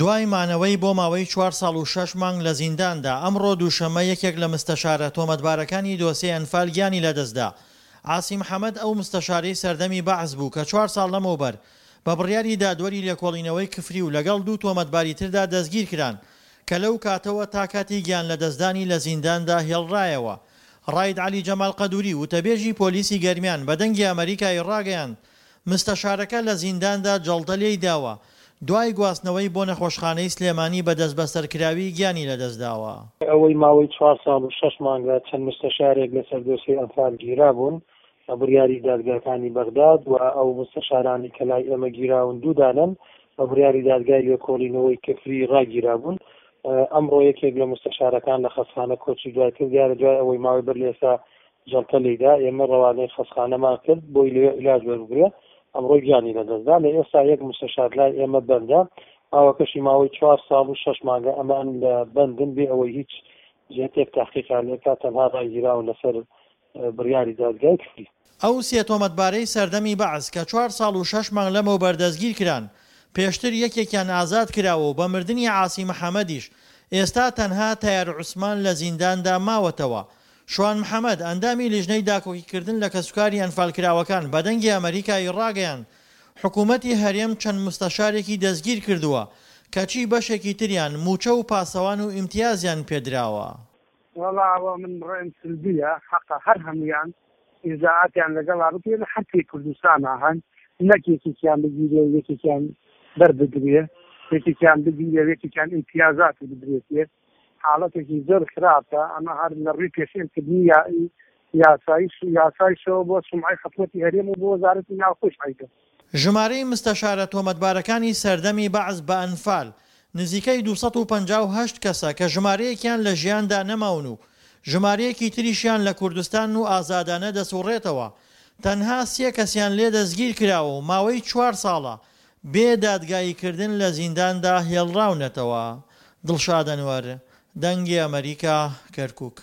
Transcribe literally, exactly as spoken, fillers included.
دوای مانەوەی بۆ ماوەی چوار ساڵ و شەش مانگ لە زینداندا، ئەمڕۆ دووشەممە یەکێک لە مستەشارە تۆمەتبارەکانی دۆسیەی ئەنفال گیانی لەدەستدا. عاسی محەمەد ئەو مستەشارەی سەردەمی بەعس بوو کە چوار ساڵ لەمەوبەر بە بڕیاری دادوەری لێکۆڵینەوەی کفری و لەگەڵ دوو تۆمەتباری تردا دەستگیرکران کە لەو کاتەوە تا کاتی گیانلەدەستدانی لە زینداندا هێڵرایەوە. ڕائید عەلی جەمال قەدوری، وتەبێژی پۆلیسی گەرمیان بە دەنگی ئەمەریکای ڕاگەیاند، مستەشارەکە لە زینداندا جەڵتە لێیداوە، دوای گواستنەوەی بۆ نەخۆشخانەی سلێمانی بە دەستبەسەرکراوی گیانی لەدەستداوە. ئەوەی ماوەی چوار ساڵ و شەش مانگە چەند مستەشارێک لەسەر دۆسیەی ئەنفال گیرابوون بە بڕیاری دادگاکانی بەغداد و ئەو مستەشارانەی کە لای ئێمە گیراون دوو دانەن بە بڕیاری دادگای لێکۆڵینەوەی کفری ڕاگیرابوون. ئەمڕۆ یەکێک لە مستەشارەکان لە خەستخانە کۆچی دوای کرد، دیارە دوای ئەوەی ماوەی بەر لە ئێستا جەڵتە لێیدا، ئێمە ڕەوانەی خەستخانەمان کرد بۆی لەوێ عیلاج وەربگرێ، ئەمڕۆ گیانی لەدەستدا. لە ئێستا یەک مستەشار لای ئێمە بەندە، ماوەکەشی ماوەی چوار ساڵ و شەش مانگە ئەمان لە بەندن بێ ئەوەی هیچ جهتێک تحقیقیان لێ بکات، تەنها ڕاگیراون لەسەر بڕیاری دادگای کفری. ئەو سێ تۆمەتبارەی سەردەمی بەعس کە چوار ساڵ و شەش مانگ لەمەوبەر دەستگیرکران، پێشتر یەکێکیان ئازاد کراوە و بە مردنی عاسی محەمەدیش ئێستا تەنها تەیار عوسمان لە زینداندا ماوەتەوە. شوان محەمەد، ئەندامی لیژنەی داکۆکیکردن لە کەسوکاری ئەنفالکراوەکان بە دەنگی ئەمەریکای ڕاگەیاند، حکومەتی هەرێم چەند مستەشارێکی دەستگیرکردووە، کەچی بەشێکی تریان مووچە و پاسەوان و ئیمتیازیان پێدراوە. وەڵا ئەوە من ڕێم سلبیە، حەقە هەر هەموویان ئیجرائاتیان لەگەڵا بکرێ لە هەر کوێی کوردستانا هەن، نەک یەکێکیان بگیرێ و یەکێکیان بەر بدرێ، یەکێکیان بگیرێ و یەکێکیان ئیمتیازاتی بدرێتێ، حاڵەتێکی زۆر خراپە، ئەمە هەر لە ڕووی پێشێلکردنی یاسایش یاسایشەوە بۆ سومعەی حکومەتی هەرێم و بۆ وەزارەتی ناوخۆیش عەیبە. ژمارەی مستەشارە تۆمەتبارەکانی سەردەمی بەعس بە ئەنفال نزیکەی دوو سەد و پەنجا و هەشت کەسە کە ژمارەیەکیان لە ژیاندا نەماون و ژمارەیەکی تریشیان لە کوردستانن و ئازادانە دەسوڕێتەوە، تەنها سێ کەسیان لێ دەستگیرکراوە و ماوەی چوار ساڵە بێ دادگاییکردن لە زینداندا هێڵراونەتەوە. دڵشاد ئەنوەر، دەنگی ئەمەریکا، کەرکوک.